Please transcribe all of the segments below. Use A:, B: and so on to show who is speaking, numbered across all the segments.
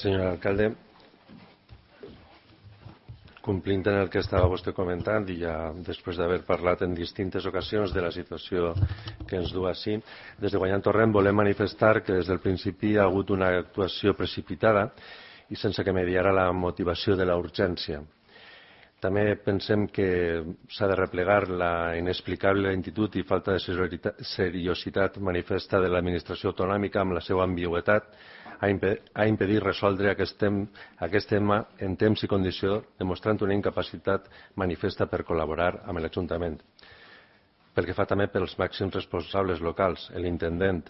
A: Senyor alcalde, complint en el que estava vostè comentant i ja després d'haver parlat en distintes ocasions de la situació que ens du així, des de Guanyant Torrent volem manifestar que des del principi hi ha hagut una actuació precipitada i sense que mediara la motivació de la urgència. També pensem que s'ha de replegar la inexplicable lentitud i falta de seriositat manifesta de l'administració autonòmica amb la seva ambigüitat a impedir resoldre aquest tema en temps i condició, demostrant una incapacitat manifesta per col·laborar amb l'Ajuntament. Pel que fa també pels màxims responsables locals, l'intendent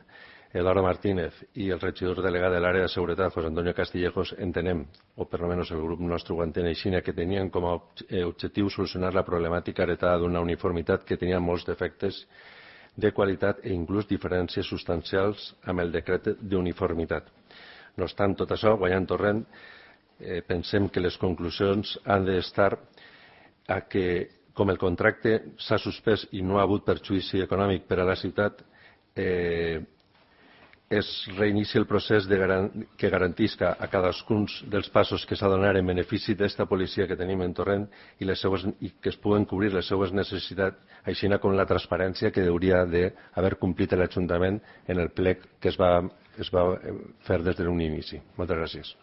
A: Eduardo Martínez i el regidor delegat de l'àrea de seguretat, José Antonio Castillejos, entenem, o per almenys el grup nostre ho entén així, que tenien com a objectiu solucionar la problemàtica heretada d'una uniformitat que tenia molts defectes de qualitat i inclús diferències substancials amb el decret d'uniformitat. No obstant tot això, Guanyant Torrent, pensem que les conclusions han d'estar a que, com el contracte s'ha suspès i no ha hagut perjudici econòmic per a la ciutat, es reinicia el procés que garantisca a cadascun dels passos que s'ha de donar en benefici d'esta policia que tenim en Torrent i que es puguen cobrir les seues necessitats, així com la transparència que hauria d'haver complit l'Ajuntament en el plec que es va fer des d'un inici. Moltes gràcies.